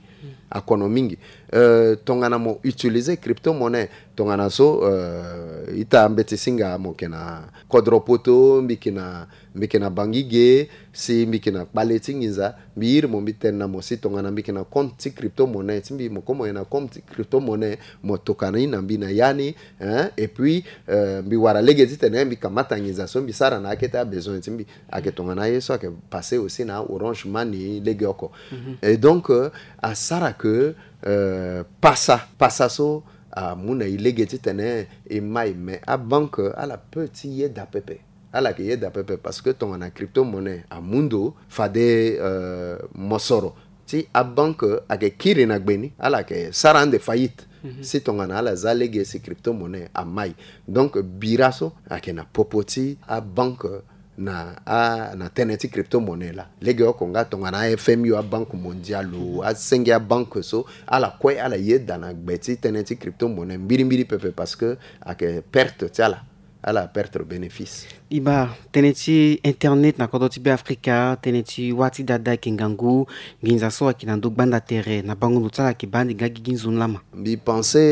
Akono mingi. Euh, tongana mo utiliser crypto-monnaie, tongana so, euh, ita mbeti singa mo yeke na kodro poto, mbi yeke na, mbi yeke na Bangui ge, si mbi yeke na kpale ti nginza, mbi iri mo, mbi tene na mo si tongana mbi yeke na compte ti crypto-monnaie ti mbi, mo komo yeke na compte ti crypto-monnaie, mo toka ni na mbi na ya ni, hein, et puis, euh, mbi wara lege ti tene mbi kamata nginza so mbi sara na akete abesoin ti mbi. Ayeke tongana aye so ayeke passer aussi na Orange Money lege oko. Mhm. Et donc, euh, asara ke, euh, pasa, pasa so amu na e lege ti tene e mai, mais abanke ala peut ti yeda pepe. Ala yeke yeda pepe parce que tongana crypto-monnaie amu ndo, fade, euh, mosoro ti abanke ayeke kiri na gbe ni, ala yeke sara ande faillite. Mhm. Si tongana ala za lege si crypto-monnaie amai. Donc bira so ayeke na popo ti abanke na a, na tënë ti crypto-monnaie laa. Lege oko nga tongana a-F M I o, a-Banque mondiale o, asenge abanke so, ala kue ala yeda na gbe ti tënë ti crypto-monnaie mbirimbiri pepe parce que ayeke perte ti ala. ala perdre bénéfice. E baa, tënë ti internet na kodro ti Beafrika, tënë ti wâ ti dada ayeke ngangu, nginza so ayeke na ndö gbanda tere na bango ndo ti ala ayeke baa ande nga gigi nzoni lama. Mbi pense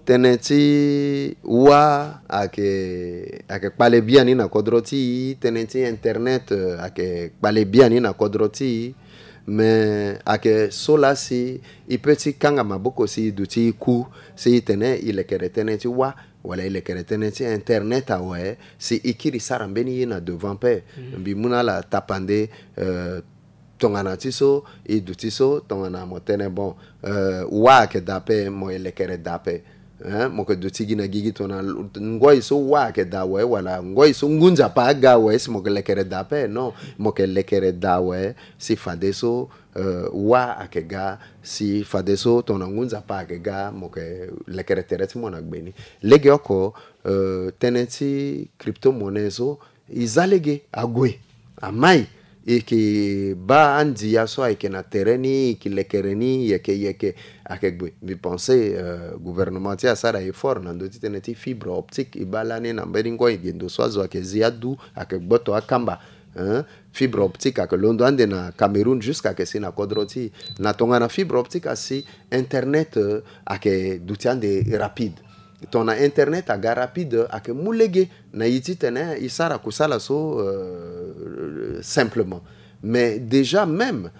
tënë ti wâ ayeke, ayeke kpale biani na kodro ti e, tënë ti internet, eh, ayeke kpale biani na kodro ti e. Me ayeke so laa si e peut ti kanga maboko si e duti e ku, si e tene e lekere tënë ti wâ, wala e lekere tënë ti internet awe, si e kiri sara mbeni ye na devant pe. Mbi mu na ala tapande, eh, tongana ti so e duti so, tongana mo tene bon, eh, wâ ayeke daa pe, mo e lekere daa pe. Hein, mo yeke duti gi na gigi tongana ngoi so wâ ayeke daa awe, wala ngoi so ngu nzapa aga awe, si mo yeke lekere daa pe. Non, mo yeke lekere daa awe, si fadeso, eh, wâ ayeke ga, si fadeso tongana ngu nzapa ayeke ga, mo yeke lekere tere ti mo na gbe ni. Legeoko, eh, tënë ti crypto-monnaie so, e za lege, ague, amai, e yeke baa andia so ayeke na tere ni, e yeke lekere ni yeke yeke, ayeke gue. Mbi pense, eh, gouvernement ti e asara effort na ndö ti tënë ti fibre optique, e baa lani na mbeni ngoi gendo so azo ayeke zi adu, ayeke gboto akamba. Hein? Fibre optique ayeke londo ande na Cameroun jusqu'à ayeke si na kodro ti e. Na tongana fibre optique asi, internet, eh, ayeke duti ande rapide. Tongana internet aga rapide, ayeke mu lege na e titene e sara kusala so, euh, simplement. Mais déjà même,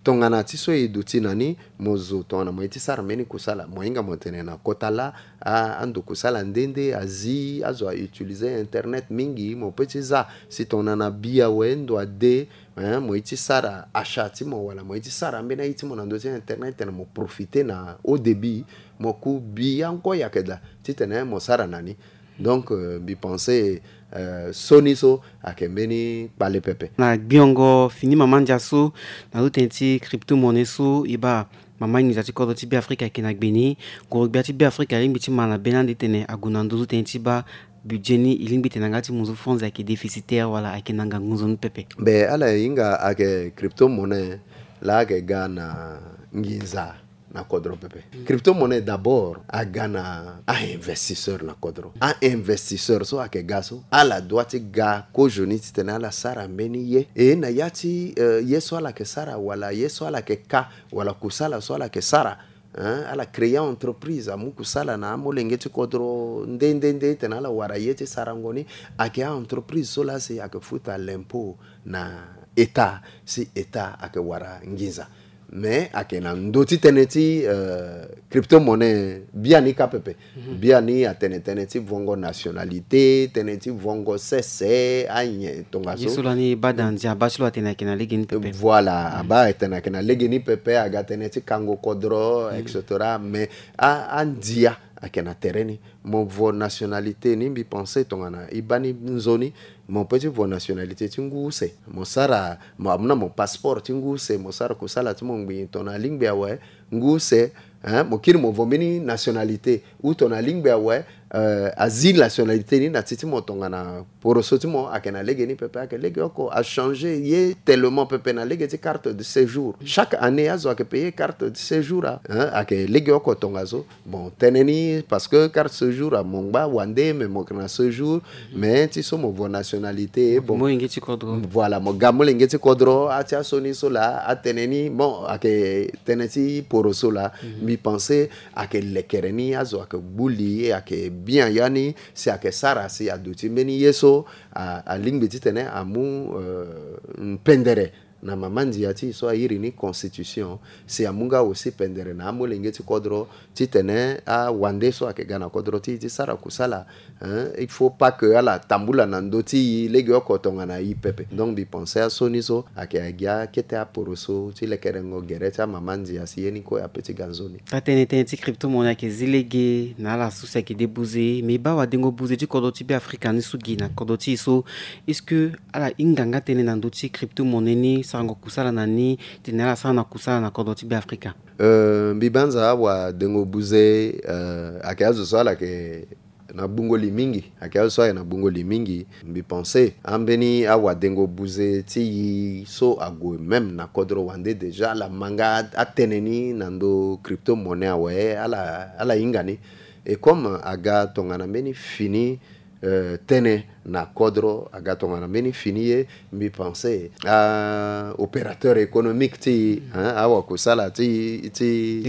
tongana ti so e duti na ni, mo zo tongana mo ye ti sara mbeni kusala, mo hinga mo tene na kota laa, a, ando kusala nde nde azi, azo a utiliser internet mingi, mo peut ti za. Si tongana na bi awe ndo ade, hein, mo ye ti sara achat ti mo, wala mo ye ti sara ambeni aye ti mo na ndö ti internet, tene mo profiter na haut débit, mo ku bi angoi ayeke daa titene mo sara na ni. Donc, euh, mbi pense, euh, sioni so ayeke mbeni kpale pepe. Na gbiongo fini mama ndia so, na ndö tënë ti crypto-monnaie so, e baa mama nginza ti kodro ti Beafrika ayeke na gbe ni. Ngoro-gbia ti Beafrika alingbi ti ma na be ni ande titene ague na ndö so tënë ti baa budget ni, e lingbi tene na nga ti mu so fonds ayeke déficitaire wala ayeke na ngangu nzoni pepe. Be ala hinga ayeke crypto-monnaie laa ayeke ga na nginza na kodro pepe. Crypto-monnaie d'abord aga na a-investisseur na kodro. A-investisseur so ayeke ga so, ala doit ti ga kozoni titene ala sara mbeni ye. E na ya ti, euh, ye so ala yeke sara, wala ye so ala yeke ka, wala kusala so ala yeke sara, hein, ala créer entreprise, amu kusala na amolenge ti kodro nde nde nde titene ala wara ye ti sarango ni. Ayeke a-entreprise so laa si ayeke futa l'impôt na État, si État ayeke wara nginza. Mais ayeke na ndö ti tënë ti, euh, crypto-monnaie biani kâ pepe. Biani atene tënë ti vongo nationalité, tënë ti vongo sese, anyen tongaso. Ye so lani baa da ndia abaa ti lo atene ayeke na legeni pepe. Voilà, abaa atene ayeke na legeni pepe, aga tënë ti kango kodro, et cetera. Mais a, andia ayeke na tere ni. Mo vo nationalité ni, mbi pense tongana e baa ni nzoni, mo peut ti vo nationalité ti ngu use. Mo sara, mo amu na mo passeport ti ngu use, mo sara kusala ti mo ngbii tongana alingbi awe, ngu use, hein, mo kiri mo vo mbeni nationalité. Ou tongana alingbi awe, euh, azi nationalité ni na ti ti mo tongana poroso ti mo ayeke na legeni pepe, ayeke legeoko, achanger ye tellement pepe na lege ti carte de séjour. Chaque année azo ayeke payer carte de séjour, hein, ayeke legeoko tongaso. Bon, tënë ni, parce que carte séjour amu ngba wande, mais mo yeke na séjour, mais ti so mo vo nationalité, bon. Molenge ti kodro. Voilà, mo ga molenge ti kodro, a ti asioni so laa, atënë ni, bon, ayeke tënë ti poroso laa. Mbi pense ayeke lekere ni, azo ayeke gbu li, ayeke bien ya ni, si ayeke sara, si aduti mbeni ye so, a, alingbi titene amu, euh, pendere na mama ndia ti e so airi ni constitution, si amu nga aussi pendere na amolenge ti kodro, titene awande so ayeke ga na kodro ti e ti sara kusala, hein, il faut pas que ala tambula na ndö ti e legeoko tongana e pepe. Donc mbi pense asioni so ayeke gi akete aporoso ti lekerengo gere ti amama ndia si ye ni kue ape ti ga nzoni. Atënë tënë ti crypto-monnaie ayeke zi lege na ala so si ayeke de buze, me e baa wadengo buze ti kodro ti Beafrika ni so gi na kodro ti e so, est-ce que ala hinga nga tënë na ndö ti crypto-monnaie ni, sarango kusala na ni, titene ala sara na kusala na kodro ti Beafrika? Euh, mbi banza awadengo buze, euh, ayeke azo so ala yeke na gbungo li mingi, ayeke azo so ayeke na gbungo li mingi. Mbi pense ambeni awadengo buze ti e so ague même na kodro wande déjà, ala ma nga atënë ni na ndö crypto-monnaie awe, ala, ala hinga ni. Et comme aga tongana mbeni fini, Euh, tënë na kodro aga tongana mbeni fini ye. Mbi pense a opérateur économique ti, hein, awakosala ti, ti,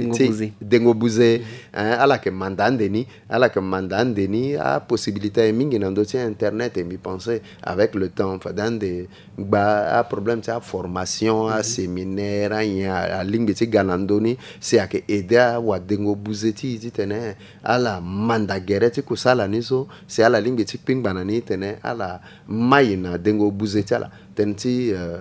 dengo buze, hein, ala yeke manda ande ni, ala yeke manda ande ni apossibilité aye mingi na ndö ti internet. E mbi pense avec le temps fade ande gba aproblème ti aformation, aséminaire, anyen alingbi ti ga na ndö ni. Si ayeke aidé awadengo buze ti e titene ala manda gere ti kosala ni so, si ala lingbi ti kpingba na ni titene ala mai na dengo buze ti ala. Tënë ti, euh,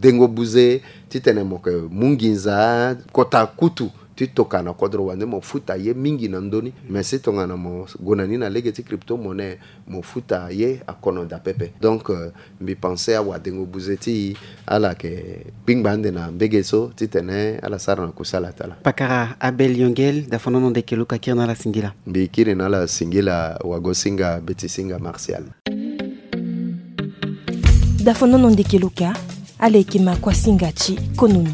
dengo buze titene mo yeke mu nginza kota kutu ti toka na kodro wande mo futa ye mingi na ndö ni. Mais si tongana mo gue na ni na lege ti crypto-monnaie, mo futa ye akono daa pepe. Donc, euh, mbi pense awadengo buze ti e ala yeke kpingba ande na mbege so titene ala sara na kosala ti ala. Pakara Abel Yongel, dafonono ndeke luka kiri na ala singila. Mbi kiri na ala singila wagosinga betisinga Martial. Dafonono ndeke luka, ala yeke ma kuasinga ti konomi.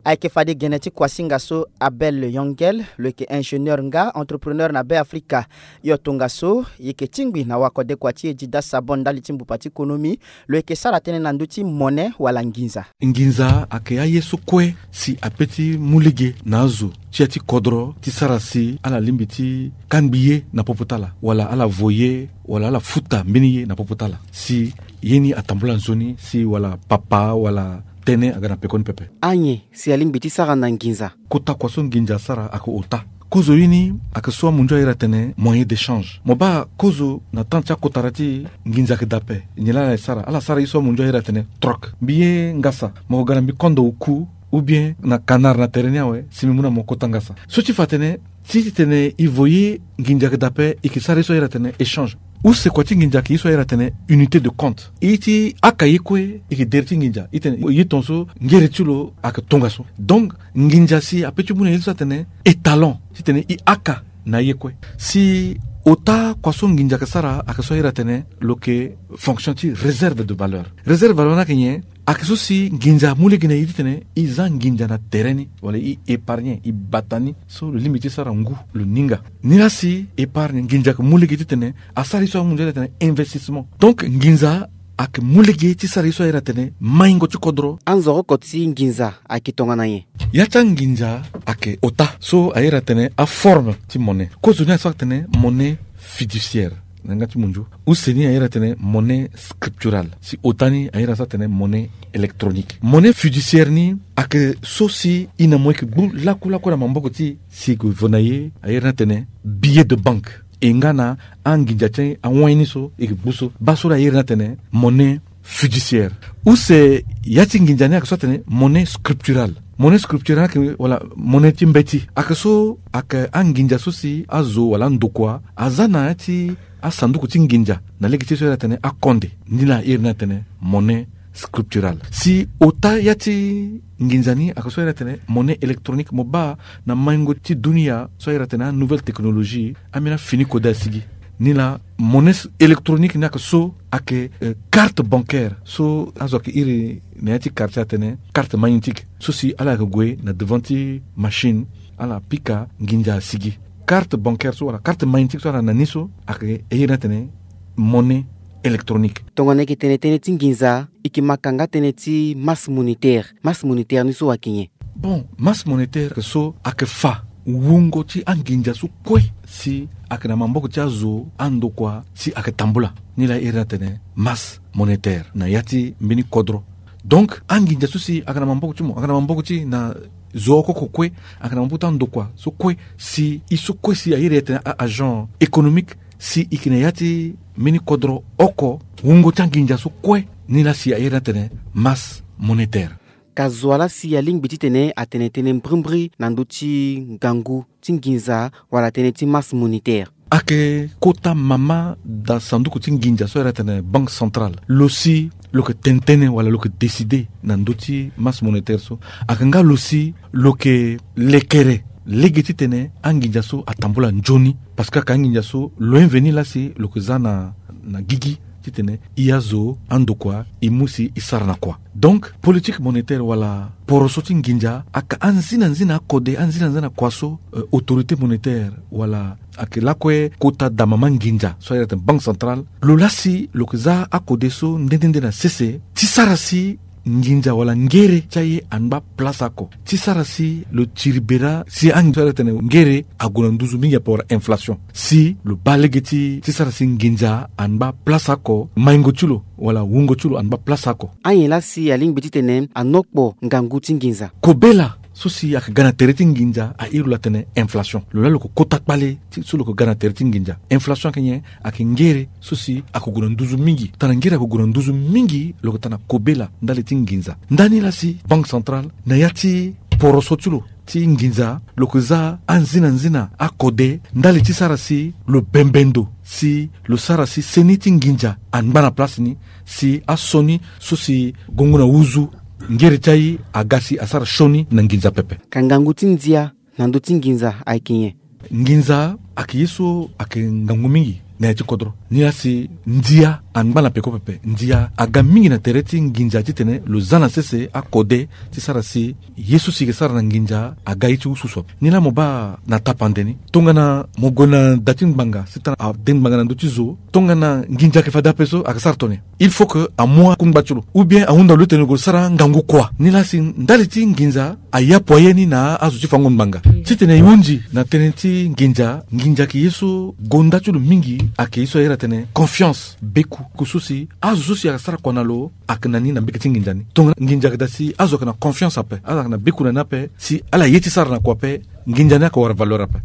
Ayeke fade gene ti kuasinga so Abel Yongel, lo yeke ingénieur nga entrepreneur na Be Afrika. Yo tongaso, yeke tingbi na wakode kua ti e Dida Sabon ndali ti mbupa ti konomi, lo yeke sara tënë na ndö ti monnaie wala nginza. Nginza ayeke aye so kue si ape ti mu lege na azo ti ya ti kodro ti sara si ala lingbi ti kangbi ye na popo ti ala, wala ala vo ye, wala ala futa mbeni ye na popo ti ala. Si ye ni atambula nzoni, si wala papa, wala tënë aga na pekoni pepe. Anyen si alingbi ti sara na nginza? Kota kua so nginza asara ayeke ota. Kozo ye ni ayeke so amunzu airi atene moyen d'échange. Mo baa kozo na temps ti akotara ti nginza ayeke daa ape. Nyen laa ala sara? Ala sara ye so amunzu airi atene troc. Mbi ye ngasa, mo yeke ga na mbi kondo oku, ou bien na canard na tere ni awe, si mbi mu na mo kota ngasa. So ti fa atene, ti titene e vo ye nginza ayeke daa ape, e yeke sara ye so airi atene échange. Use kua ti nginza ayeke ye so airi atene unité de compte. E ti aka ye kue, e yeke dere ti nginza. E tene ye tongaso, ngere ti lo ayeke tongaso. Donc, nginza si ape ti mu na ye so atene étalon, titene e aka na ye kue. Si ota kua so nginza ayeke sara ayeke so airi atene lo yeke fonction ti réserve de valeur. Réserve de valeur ni ayeke nyen? Ayeke so si nginza amu lege na e titene e za nginza na tere ni, wala e épargne, e bata ni, so lo lingbi ti sara ngu lo ninga. Nilaa si épargne nginza ayeke mu lege titene asara ye so amu nzoni atene investissement. Donc nginza ayeke mu lege ti sara ye so airi atene maingo ti kodro. Anzoroko ti nginza ayeke tongana nyen? Ya ti anginza ayeke ota so airi atene aforme ti monnaie. Kozo ni aso atene monnaie fiduciaire na yanga ti munzu. Use ni airi atene monnaie scripturale. Si ota ni airi aso atene monnaie électronique. Monnaie fiduciaire ni ayeke so si e na mo e yeke gbu lakulaku na maboko ti e, si e yeke vo na ye airi ni atene billet de banque. E nga na anginza ti awai ni so e yeke gbu so. Baa so laa airi ni atene monnaie fiduciaire. Use ya ti nginza ni ayeke so atene monnaie scripturale. Monnaie scripturale ni ayeke wala monnaie ti mbeti. Ayeke so ayeke anginza so si azo wala andokua aza na ya ti asanduku ti nginza na lege ti ye so airi atene akonde. Ni laa airi ni atene monnaie scripturale. Si ota ya ti nginza ni ayeke so airi atene monnaie électronique. Mo baa na maingo ti dunia so airi atene anouvelle technologie, ambeni afini kode asigi. Ni laa monnaie électronique ni ayeke so ayeke, euh, carte bancaire so azo ayeke iri na ya ti quartier atene carte magnétique. So si ala yeke gue na devant ti machine, ala pika, nginza asigi. Carte bancaire so wala carte magnétique so ala na ni so ayeke e iri ni atene monnaie électronique. Tongana e yeke tene tënë ti nginza, e yeke ma kanga tënë ti masse monétaire. Masse monétaire ni so ayeke nyen? Bon, masse monétaire ayeke so ayeke fa wungo ti anginza so kue si ayeke na maboko ti azo, andokua, si ayeke tambula. Ni laa e iri ni atene masse monétaire na ya ti mbeni kodro. Donc anginza so si ayeke na maboko ti mo, ayeke na maboko ti na zo oko oko kue, ayeke na maboko ti andokua so kue, si e so kue si a iri atene a-agent économique, si e yeke na ya ti mbeni kodro oko, wungo ti anginza so kue, ni laa si a iri ni atene masse monétaire. Ka zo wa laa si alingbi titene atene tënë mbrimbri na ndö ti ngangu ti nginza wala tënë ti masse monétaire? Ayeke kota mama daa sanduku ti nginza so a iri atene banque centrale. Lo si lo yeke tene tënë wala lo yeke décider na ndö ti masse monétaire so. Ayeke nga lo si lo yeke lekere lege titene anginza so atambula nzoni. Parce que ayeke anginza so lo inveni laa si lo yeke za na, na gigi. titene i azo andokua i mu si i sara na kua. Donc politique monétaire wala poroso ti nginza aka anzinanzina akode, anzinanzina kua so, euh, autorité monétaire wala ayeke lakue kota dama ma nginza so ayeke tene banque centrale, lo laa si lo yeke za akode so nde nde nde na sese ti sara si nginza wala ngere ti aye angba place oko, ti sara si lo tiri bera si anginza so ayeke tene ngere ague na nduzu mingi ape wala inflation, si lo baa lege ti ti sara si nginza angba place oko, maingo ti lo wala wungo ti lo angba place oko. Anyen laa si alingbi titene anokpo ngangu ti nginza. Kobela so si ayeke ga na tere ti nginza airi lo atene inflation. Lo laa lo yeke kota kpale ti so lo yeke ga na tere ti nginza. Inflation ayeke nyen? Ayeke ngere so si ayeke gue na nduzu mingi. Tana ngere ayeke gue na nduzu mingi, lo yeke tana kobela ndali ti nginza. Ndani laa si banque centrale na ya ti poroso ti lo ti nginza, lo yeke za anzinanzina akode ndali ti sara si lo bembe ndo, si lo sara si seni ti nginza angba na place ni, si asioni so si gongo na uzu ngere ti aye aga si asara sioni na nginza pepe. Ka ngangu ti ndia na ndö ti nginza ayeke nyen? Nginza ayeke ye so ayeke ngangu mingi na ya ti kodro. Ni laa si ndia angba na peko pepe. Ndia aga mingi na tere ti nginza titene lo za na sese akode ti sara si ye so si yeke sara na nginza aga ye ti ususu ape. Ni laa mo baa na tapande ni, tongana mo gue na da ti ngbanga si tara ade ngbanga na ndö ti zo, tongana nginza ayeke fade ape so ayeke sara tongana nyen? Il faut que amu akungba ti lo ou bien ahunda lo titene lo gue sara ngangu kua. Ni laa si ndali ti nginza ayapo aye ni na azo ti fango ngbanga. Titene e hunzi na tënë ti nginza, nginza ayeke ye so gonda ti lo mingi ayeke ye so ayeke tene confiance, beku. Ku so si azo so si ayeke sara kua na lo ayeke na ni na mbege ti nginza ni. Tongana nginza ayeke daa si azo ayeke na confiance ape, azo ayeke na beku na ni ape si ala ye ti sara na kua ape, nginza ni ayeke wara valeur ape.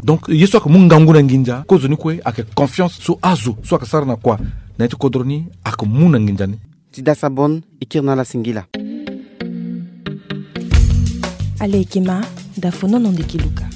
Donc ye so ayeke mu ngangu na nginza kozoni kue ayeke confiance so azo so ayeke sara na kua na ya ti kodro ni ayeke mu na nginza ni. Ti dasa bon, e kiri na ala singila. Ala yeke ma, da fonono ndeke luka.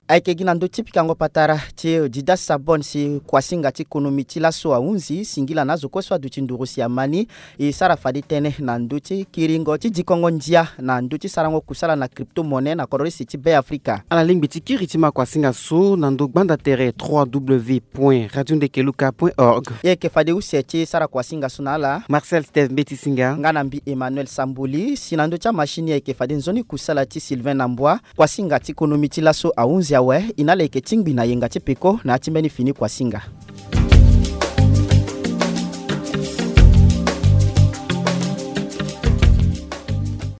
Ayeke gi na ndö ti pikango patara ti Dida Sabon si kuasinga ti konomi ti laso ahunzi singila na azo kue so aduti nduru si ama ni. E sara fade tënë na ndö ti kiringo ti dikongo ndia na ndö ti sarango kusala na crypto-monnaie na kodro isi ti Be Afrika. Ala lingbi ti kiri ti ma kuasinga so na ndö gbanda tere trois W point radio ndeke luka point org. E yeke fade use ti sara kuasinga so na ala Marcel Steve Mbeti Singa nga na mbi Emmanuel Samboli. Si na ndö ti amachine e yeke fade nzoni kusala ti Sylvain Nambwa. Kuasinga ti konomi ti laso ahunzi awe. E na ala yeke tingbi na yenga ti peko na ya ti mbeni fini kuasinga.